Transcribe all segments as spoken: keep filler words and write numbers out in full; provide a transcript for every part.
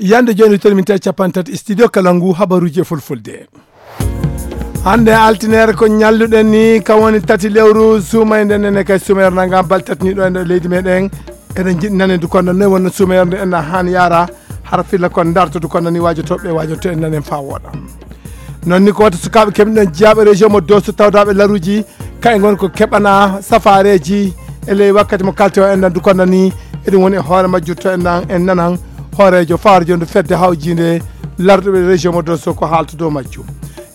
Yande jooni, toon min tawi capanɗe tati studio Kalangu, habaruuji e fulfulde. Hannde altineere ko ñalluɗen ni, kam woni tati lewru suumayde nden, e kay suumayere nanga balɗe tati ni ɗo e nder leydi meɗen. Eɗen njiɗi nane ndu kono noy wonno suumayere nde en haani yaara, hara filla kon darto ndu kono ni waajo toɓɓe waajo to en nanen faa wooɗa. Noon ni ko wata sukaaɓe keɓni ɗon jiyaaɓe région mo Dosso tawdaaɓe laruuji, kayen ngon ko keɓana safaareeji e ley wakkati mo kalte o en nan ndu kono ni, eɗum woni e hoore majjum to en nan, en nanan hooreejo fawre jondu fedde hawjiinde larduɓe région mo Dosso ko haalta dow majjum.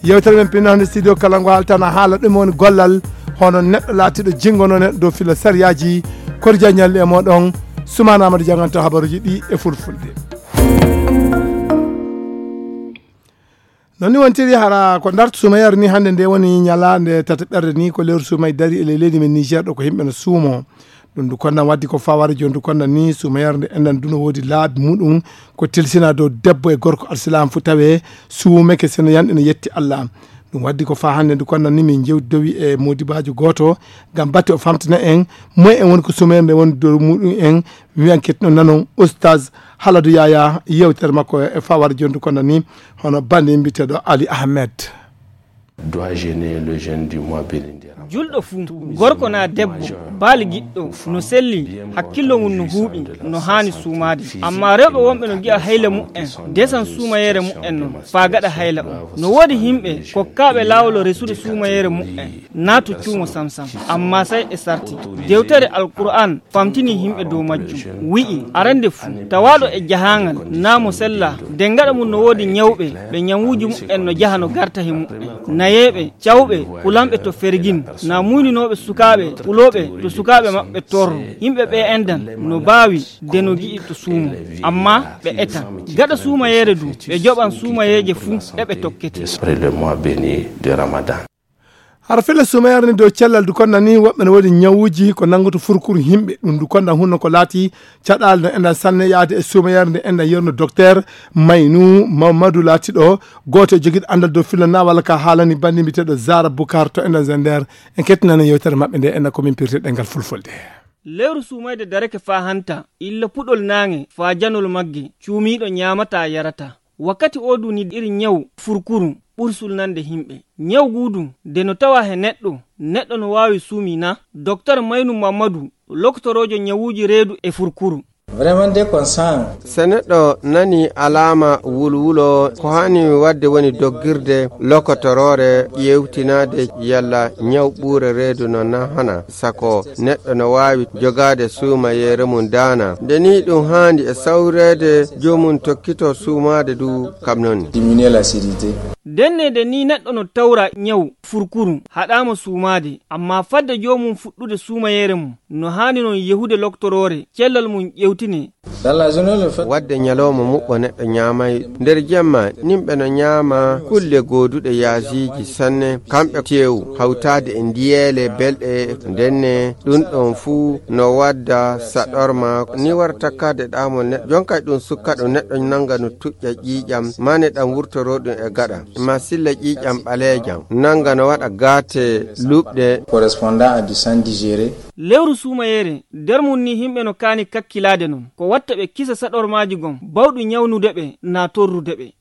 Yewtere men pinno hannde studio Kalangu haaltana haala ɗum woni gollal hono neɗɗo laatiiɗo jinngono neɗɗo dow filla sariyaaji. Kori jaññal e moɗon, Sumaana Amadou jannganto habaruuji ɗi e fulfulde. Noon ni wontiri hara ko ndarto suumayere ni hannde nde woni ñalaande tataɓerde ni ko lewru suumay dari e ley leydi men Niger ɗo ko yimɓe no suumo. Ɗum ndu konnan waddi ko faware jooni ndu konnan ni suumayere nde enɗan ndu no woodi laabi muɗum ko tilsina dow debbo e gorko alsilaam fu tawe suumeke sino yanɗe no yetti Allah. Ɗum waddi ko faa hannde ndu konnan ni min jewtidowi e modibaajo gooto ngam batte o famtina en moy en woni ko suumayere nde woni dow muɗum en. Mi wiyan ketino nanon Oustaz Haladu Yaya yewtere makko e fawar jondu kono ni hono bandi mbiteɗo Ali Ahmed. Dois-je ne le jeune du mois béni de Ramadan? Julɗo fuu, gorko naa debbo, baali giɗɗo, no selli, hakkillo mum no huuɓi, no haani suumaade. Ammaa rewɓe wonɓe no ngi'a hayla mu'en, desan suumayeere mu'en non, faa gaɗa hayla on. No woodi yimɓe kokkaaɓe laawol resude suumayeere mu'en, naa to cuumo samsam. Ammaa sey e sarti. Dewtere Alqur'aan famtini yimɓe dow majjum, wi'i, arande fuu, tawaaɗo e jahaangal, naa mo sellaa, de gaɗa mum no woodi nyawɓe, ɓe nyawuuji mu'en no jaha no garta he mu'en. Nayeeɓe, cawɓe, kulanɓe to fergin, naa muyninooɓe sukaaɓe, kulooɓe to sukaaɓe maɓɓe torro. Yimɓe ɓe enɗan no baawi de no gi'i to suumo. Ammaa ɓe etan. Gaɗa suumayeere du, ɓe joɓan suumayeeje fuu ɗe ɓe tokkete. Esprit le mois béni de Ramadan. Hara filla suumayere ni dow cellal du konna ni woɓɓe no woodi nyawuuji ko nanngoto furkuru yimɓe. Ɗum du konna hunno ko laati caɗaali no enɗan sanne yaade e suumayere nde enɗan yerno docteur Maynu Mamadou laatiɗo gooto e jogiiɗo anndal dow filla na walla ka haalani banndi mbiteɗo Zara Bukar to enɗan Zender. En kettinani yewtere maɓɓe nde enɗan ko min pirte ɗengal fulfulde. Lewru suumayde darake faa hanta, illa puɗol naange faa janol magge, cuumiiɗo nyaamataa yarataa. Wakkati oo du ni iri nyawu furkuru ɓuri sulnande himɓe. Nyawu guu du, de no tawa he neɗɗo, neɗɗo no waawi suumi na? Doktor Maynu Mammadu, loktoroojo nyawuuji reedu e furkuru. Vraiment, dès qu'on sent Se neɗɗo nani alaama wulwulo, ko haani waɗde woni doggirde lokotoroore, ƴeewtinaade yalla nyaw ɓuure reedu no na hana, sako neɗɗo no waawi jogaade suumayeere mum daana. Nde nii ɗum haandi e sawreede joomum tokkito suumaade du kam noon. Diminuer l'acidité. Denneede nii neɗɗo no tawra nyaw furkuru, haɗaama suumaade, ammaa fadde joomum fuɗɗude suumayeere mum, no haani noon yehude loktoroore, cellal mum ƴeewtinee. Dans la journée, le fait Waɗde ñalawma muɓɓo neɗɗo ñaamay nder jemma, nimɓe no ñaama kulle gooduɗe yaasiiji sanne, kamɓe teewu, hawtaade e ndiyeele belɗe, ndenne ɗum ɗon fuu no wadda saɗorma, ni wara takkaade ɗaamol neɗɗo. Jonkay ɗum sukka ɗum neɗɗo nannga no tuƴƴa ƴiiƴam, mane ɗam wurtoroo ɗum e gaɗa, ma silla ƴiiƴam ɓaleejam, nannga no waɗa gaate luɓɗe. Correspondant à du sang digéré. Lewru suumayeere, nder mum ni yimɓe no kaani kakkilaade non. Ko watta ɓe kisa saɗormaaji gon, bawɗi nyawnude ɓe, naa torrude ɓe.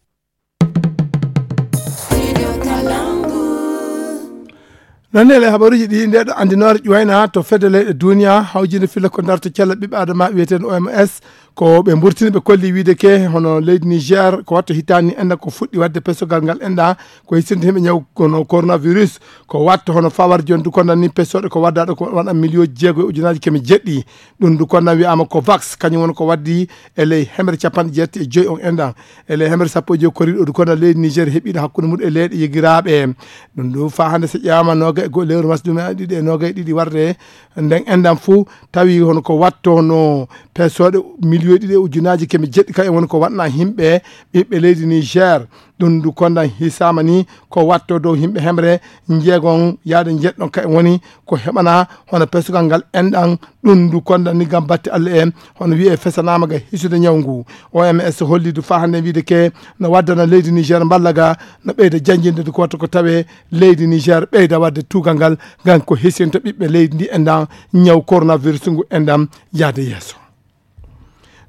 Noon ne, le habaruuji ɗi, nde ɗo anndinoore ƴuwayna to fedde leyɗe duniya, hawjinde filla ko darto cella ɓiɓɓe adama wiyeteeɗo O M S, ko ɓe mburtini ɓe kolli wiide ke, hono leydi Niger, ko watto hitaani enɗa ko fuɗɗi waɗde pesogal ngal enɗa, ko hissinde himɓe ñaw kono coronavirus, ko watto hono fawar jondu kono ni pesooɗe ko waddaɗo ko waɗa million jeego e ujunaaji keme jeɗɗi. Ɗum du kono wiyaama ko vax, kañum woni ko waddi e ley hemre capanɗe jeetati e joyi on enɗan. E ley hemre sappo e joyi koriɗo du kono leydi Niger heɓiɗo hakkunde mum e leyɗe yigiraaɓe. Ɗum du faa hannde so ƴeewaama nooga e go-, lewru mars ɗum e ɗiɗi e nooga e ɗiɗi warde nden enɗan fuu tawi hono ko watto no Pesooɗe miliyoji ɗiɗi e ujunaaji keme jeɗɗi ka en woni ko waɗna yimɓe ɓiɓɓe leydi Niger. Ɗum ndu kondan hisaama ni ko watto dow yimɓe hemre njeegon yaade njeɗɗon ka en woni ko heɓana hono pesugal ngal enɗan. Ɗum ndu kondan ni ngam batte Allah en hono wiye fesanaama ga hisude ñaw ngu. O M S holli du faa hannde wiide ke no waddana leydi Niger mballa ga no ɓeyda janjinde du ko watto ko tawe leydi Niger ɓeyda wadde tuugal ngal ngam ko hisinta ɓiɓɓe leydi ndi enɗan ñaw coronavirus ngu enɗan yaade yeeso.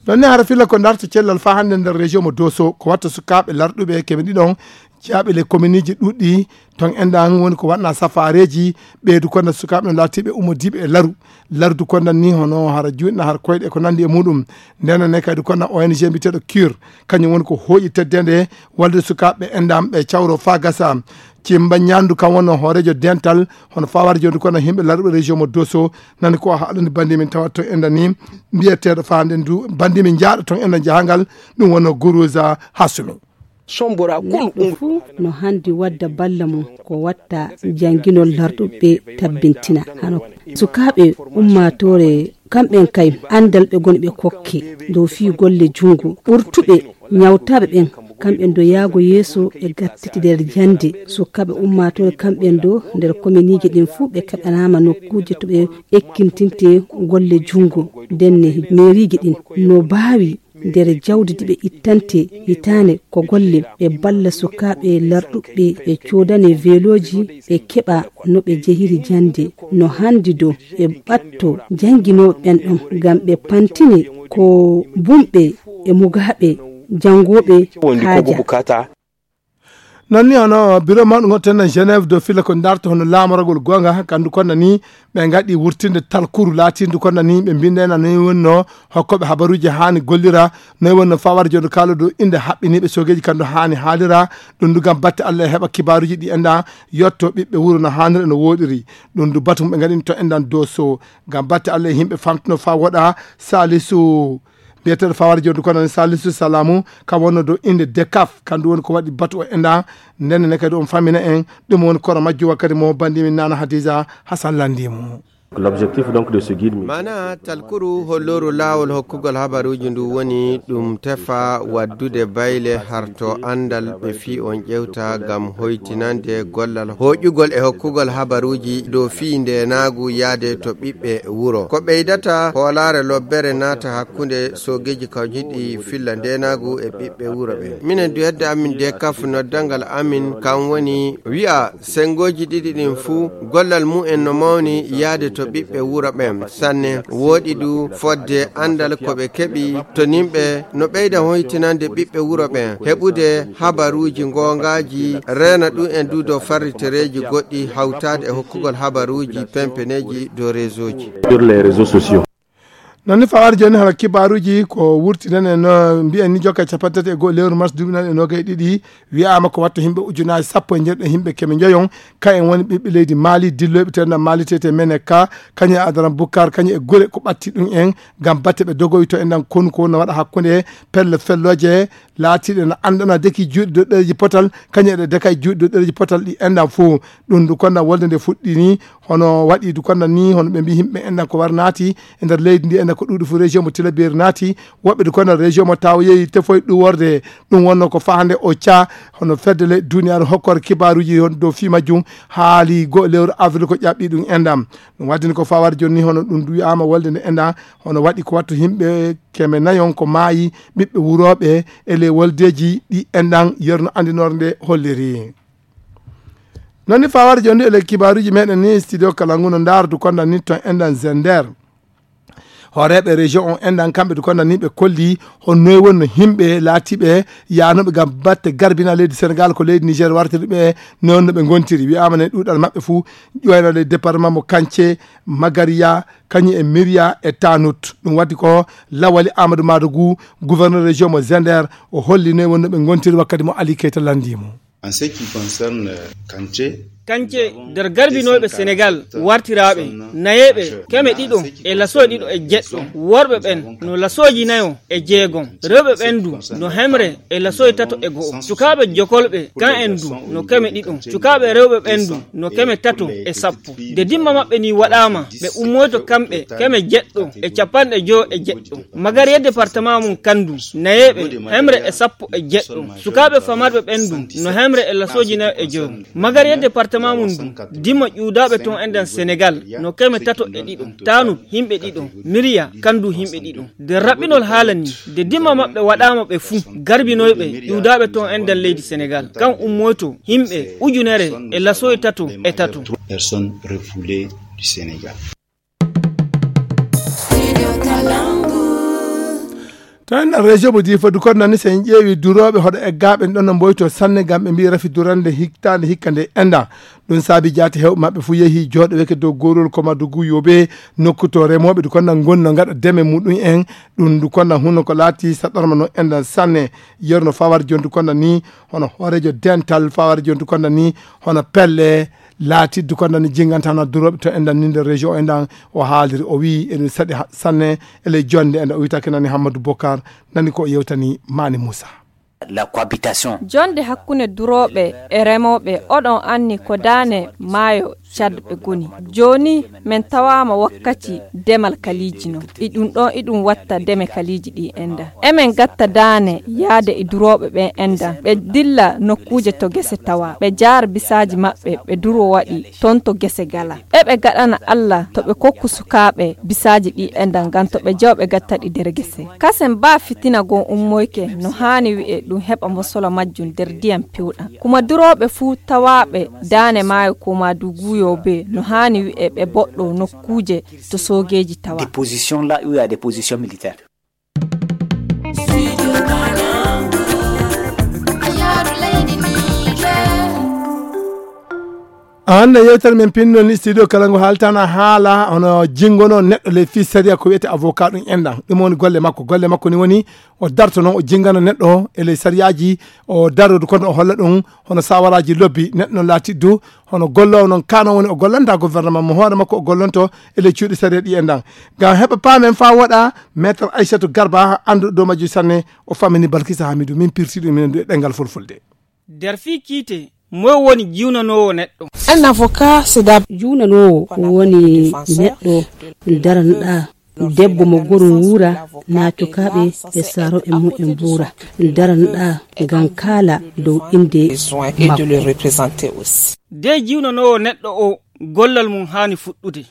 Ɗon ne hara filla ko darta cellal faa hannde nder région mo Doso ko watta sukaaɓe larɗuɓe keme ɗiɗon jaaɓe le kominiiji ɗuɗɗi ton enɗan woni ko waɗna safaareeji ɓeydu konda sukaaɓe no laatiiɓe ummodiiɓe e laru. Lardu konda ni hono hara juutna hara koyɗe ko nanndi e muɗum. Ndena ne kadi konda O N G mbiyeteeɗo cure kañum woni ko hooƴi teddende walde sukaaɓe enɗan ɓe cawro faa gasa. Cimba ñaandu kam wonno hooreejo dental hono fawar jooɗi kono yimɓe larɓe région mo Doso nani ko haalani bandi min tawa to enda ni mbiyeteeɗo faande ndu bandi min jaaɗo ton enda jahangal. Ɗum wonno Guruza Hasumi. Sombora kul neɗɗo fuu no handi wadda balla mum ko watta janginol larɗuɓe tabbintina hano sukaaɓe ummaatoore kamɓen kay andal ɓe goni ɓe kokke dow fii golle jungo ɓurtuɓe ñawtaaɓe ɓen. Kamɓen do yaago yeeso e gattiti nder jannde sukaaɓe ummaatoore kamɓen do nder kominiiji ɗin fuu ɓe kaɓanaama nokkuuje to ɓe ekkintinte golle jungo ndenne meeriiji ɗin no baawi nder jawdi ndi ɓe ittante hitaande ko golle ɓe balla sukaaɓe larɗuɓe ɓe coodane velooji ɓe keɓa no ɓe jehiri jannde no handi do ɓe ɓatto jannginooɓe ɓen ɗon ngam ɓe pantine ko bumɓe e mugaaɓe janngooɓe haaja. Non ni hono biro mawɗo ngon tenna Genève do filla ko darta hono laamoragol gonga kandu konna ni ɓe ngaɗi wurtinde talkuru laatindu konna ni ɓe mbindena ni wonno hokkoɓe habaruji hani gollira noy wonno fawar jondo kala do inde haɓɓiniɓe sogeji kandu hani haalira. Ɗum du gam batte Allah e heɓa kibaruji ɗi enda yotto ɓiɓɓe wuro no hanira no woɗiri. Ɗum du batum ɓe ngaɗin to endan doso gam batte Allah e yimɓe famtuno fa woɗa salisu mbiyeteeɗo fawar jooɗi kono salisu salamu kam wonno dow innde decaf kandu woni ko waɗi batu o enda. Ndenne ne kadi on famina en ɗum woni koro majju wakkati mo bandimi nana hadisa hasan landimo. L'objectif donc de ce guide mi mana talkuru holloru laawol hokkugol habaruuji ndu woni ɗum tefa waddude bayle harto andal ɓe fii on ƴewta ngam hoytinande gollal hoƴugol e hokkugol habaruuji dow fii ndenaagu yaade to ɓiɓɓe wuro ko ɓeydata hoolaare lobbere naata hakkunde soogeeji kawjiɗi filla ndenaagu e ɓiɓɓe wuro ɓen. Minen du hedde amin de kaf noddalngal amin kam woni wi'a sengooji ɗiɗi ɗin fuu gollal mumen no mawni yaade to ɓiɓɓe wuro ɓen sanne. Wooɗi du fodde andal ko ɓe keɓi to nimɓe no ɓeyda hoytinande ɓiɓɓe wuro ɓen heɓude habaruuji goongaaji reena ɗum en du dow farritereeji goɗɗi hawtaade e hokkugol habaruuji pempeneeji dow réseauji. Sur les réseaux sociaux. Non ni fawar joni hala kibaruji ko wurti nen e no mbiyen ni jokka capanɗe tati e goho lewru mars duuɓi nan e nogay ɗiɗi. Wiyama ko watta himɓe ujunaji sappo e jeeɗiɗo himɓe keme joyon ka en woni ɓiɓɓe leydi mali dilloyɓe tenda mali tete mene ka kañum e adaran bukkar kañum e gure ko ɓatti ɗum en gam batte ɓe dogoyto e ndan konu ko no waɗa hakkunde pelle felloje laatiɗe no anndana deki juuɗe dow ɗereji potal kañum eɗe dekay juuɗe dow ɗereji potal ɗi endan fof. Ɗum ndu konna wolde nde fuɗɗini hono waɗi du konna ni hono ɓe mbi yimɓe endan ko war naati e nder leydi ndi endan ko ɗuuɗi fof région mo tilaberi naati. Woɓɓe du konna région mo taw yeeyi tefoy ɗuworde ɗum wonno ko fahande o ca hono fedde le duniyaaru hokkore kibaruji hon dow fi majjum haali go lewru avril ko ƴaɓɓi ɗum endan. Ɗum waddini ko fawar jonni hono ɗum du wi'ama wolde nde endan hono waɗi ko wattu yimɓe keme nayon ko maayi ɓiɓɓe wurooɓe e ley woldeeji ɗi enɗan yerno anndinoore nde holliri. Noon ni fawar jooni e ley kibaaruuji meɗen ni studio kala ngu no ndaardu konda ni toon enɗan zender hooreeɓe région on enɗan kamɓe du konda ni ɓe kolli honnoy wonno yimɓe laatiiɓe yaanooɓe ngam batte garbina leydi sénégal ko leydi niger wartiri ɓe. Noon no ɓe ngontiri wiyaama ne ɗuuɗal maɓɓe fuu ƴoyna ley département mo kance magariya kañum e miriya e tanut. Ɗum waddi ko lawali amadou madougou gouverneur région mo zender o holli noy wonno ɓe gontiri wakkati mo ali keyta landi mo. En ce qui concerne kance Kance nder garbinooɓe Senegal wartiraaɓe nayeeɓe keme ɗiɗo e lasooji ɗiɗo e jeɗɗo, worɓe ɓen no lasooji nayo e jeegom, rewɓe ɓen du no hemre e lasooji tato e go'o. Sukaaɓe jokolɓe kan en du no keme ɗiɗo, sukaaɓe rewɓe ɓen du no keme tato e sappo. Nde dimma maɓɓe ni waɗaama, ɓe ummoyto kamɓe keme jeɗɗo e capanɗe jowo e jeɗɗo. Magariya departement mum kan du nayeeɓe hemre e sappo e jeɗɗo. Sukaaɓe famarɓe ɓen du no hemre e lasooji nayo e jowo. Magariya departement mum du dimma ƴuwdaaɓe ton enɗan Senegal no keme tato e ɗiɗo, taanu himɓe ɗiɗo, miriya kan du himɓe ɗiɗo. Nde raɓɓinol haala ni, nde dimma maɓɓe waɗaama ɓe fuu, garbinoyɓe ƴuwdaaɓe ton enɗan leydi Senegal kan ummoyto himɓe ujunere e lasooji tato e tato. Personnes refoulées du Sénégal. To en région mo Difa du kon nani, so en ƴeewi durooɓe hoɗo eggaaɓe ɗon no mboyto sanne, ngam ɓe mbiyi rafi durande hittaande hikka nde enda. Ɗum saabi jaati hewɓe maɓɓe fuu yehi jooɗoweke dow gorol ko Madugu Yobe, nokku to remooɓe du kon na ngonno ngaɗa deme muɗum en. Ɗum du kon na huno ko laati saɗorma no enda sanne. Yerno fawar jondu kon na ni hono hooreejo dental fawar jondu kon na ni hono pelle laatiddu kon na ni jinganta na durooɓe to enda ni nder région o endan. O haaliri, o wiyi eɗum saɗi ha- sanne e ley jonde enda. O witake nani Hammadou Bokar, nani ko o yewtani Mani Moussa. La cohabitation. Jonde hakkunde durooɓe e remooɓe, oɗon anni ko daane maayo Tchad ɓe goni. Jooni men tawaama wakkati demal kaliiji no. E ɗum ɗon, e ɗum watta deme kaliiji ɗi enda. Emen gatta daane yaade e durooɓe ɓen enda. Ɓe dilla nokkuuje to gese tawa. Ɓe jaara bisaaji maɓɓe, ɓe duro waɗi ton to gese gala. Eɓe gaɗana Alla to ɓe kokku sukaaɓe bisaaji ɗi enda, ngam to ɓe jewa ɓe gatta ɗi nder gese. Kasen baa fitina gon ummoyke no haani wi'e ɗum heɓa mosolo majjum nder ndiyam pewɗam. Kuma durooɓe fuu tawaaɓe daane maayo ko Madugu Yobe no haani wi'e ɓe boɗɗo nokkuuje to soogeeji tawa. Des positions là où il y a des positions militaires. Hannde yewtere men pinno ni studio kala ngo haaltana haala hono jingono neɗɗo ley fii sariya ko wiyete avocat ɗum enɗan. Ɗum woni golle makko. Golle makko ni woni o darto noon o jingana neɗɗo e ley sariyaaji, o darodu kono o holla ɗum hono sawaraaji lobbi neɗɗo noon laati du hono golloowo noon kano woni o gollanta gouvernement mo hoore makko o gollonto e ley cuuɗi sariya ɗi enɗan. Ngam heɓa paamen faa woɗa, maître Aissatou Garba annduɗo dow majji sanne o fammini Balkisa Hamidou, min pirti ɗum minen du e ɗemngal fulfulde. Nder fii kiite, moy woni jiwnanoowo neɗɗo? Un avocat, c'est d'abord. Juwnanoowo woni neɗɗo daranoɗaa debbo mo gorum wuura, naa cukaaɓe e saarooɓe mum en mbuura. Daranoɗaa ngam kaala dow innde makko. De jiwnanoowo neɗɗo o gollal mum haani fuɗɗude.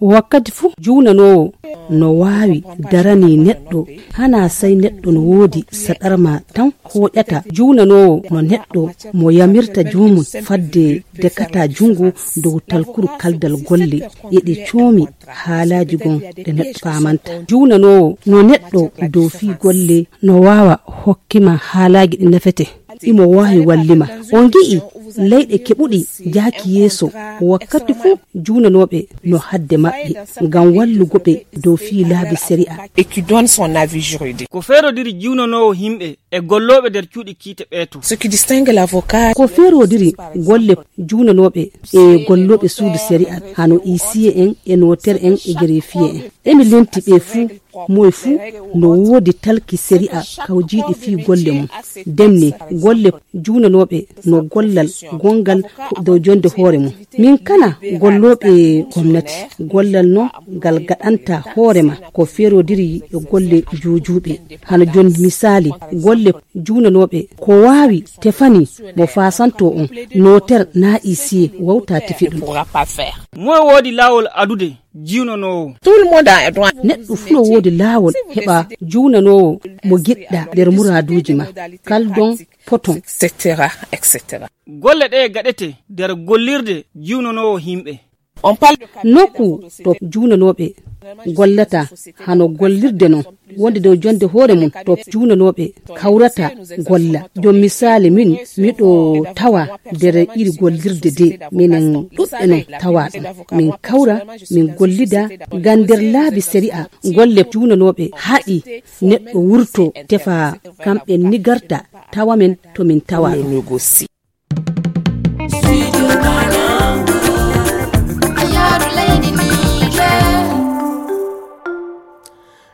Wakkati fuu juwnanoowo no waawi daranii neɗɗo, hanaa sey neɗɗo no woodi saɗarma tan hooƴata. Juwnanoowo no neɗɗo mo yamirta joomum fadde dekata junngo dow talkuru kaldal golle, eɗe coomi haalaaji gon ɗe neɗɗo faamanta. Juwnanoowo no neɗɗo dow fii golle no waawa hokkima haalaaji ɗi nafete. Imo waawi wallima. On ngi'i leyɗe keɓuɗi jaaki yeeso, wakkati fuu juunanooɓe no hadde maɓɓe ngam wallugo ɓe dow fii laabi sari'a. Et qui donne son avis juridique. Ko feerodiri jiwnanoowo himɓe e gollooɓe nder cuuɗi kiite ɓee to. Ce qui distingue l'avocat. Ko feerodiri golle juunanooɓe e gollooɓe suudu sari'a, hano isiye en e noter en e gerefiye en. Emi lenti ɓe fuu. Moye fuu no woodi talki sari'a kawjiiɗi fii golle mum. Demni golle juunanooɓe no gollal gonngal dow jonde hoore mum. Min kala gollooɓe gomnati, gollal no ngal gaɗanta hoore ma ko feerodiri e golle juujuuɓe. Hano jon misaali, golle juunanooɓe ko waawi tefani mo fasanto on, noter naa isiye wawta tefi ɗum. Moye woodi laawol adude jiwnanoowo. Tout le monde a droit. Neɗɗo fuu no woodi laawol heɓa juunanoowo mo giɗɗa nder muraaduuji ma. Kaldon poton. Et cetera, et cetera. Golle ɗe gaɗete nder gollirde jiwnanoowo himɓe. On parle de nokku to juunanooɓe gollata hano gollirde non. Wonde dow jonde hoore mum to juunanooɓe kawrata golla. Jom misaali min miɗo tawa nder iri gollirde de minen ɗuɓɓe non tawa ɗum. Min kawra, min gollida ngam nder laabi sari'a golle juunanooɓe haɗi neɗɗo wurto tefa kamɓe ni garta tawa men to min tawa ɗum. Studio Ghana,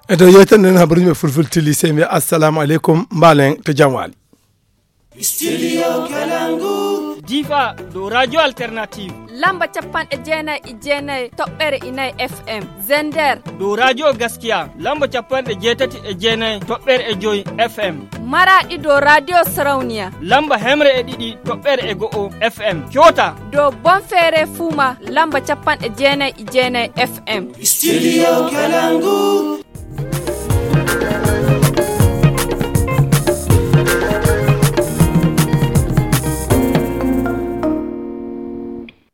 E dow yewtere nden, habaruji ɓe fulfulde tili, sey mbiya assalamu aleykum, mbaalen to jam waali. Studio Kalangu. Difa, dow Radio Alternative. Lamba capanɗe jeenayi e jeenayi toɓɓere inayi F M. Zender. Dow Radio Gaskiya, lamba capanɗe jeetati e jeenayi toɓɓere e joyi F M. Maraɗi, dow Radio Sarauniya, lamba hemre e ɗiɗi toɓɓere e go'o F M. Kyota. Dow Bonfere Fuma, lamba capanɗe jeenayi e jeenayi F M. Studio Kalangu.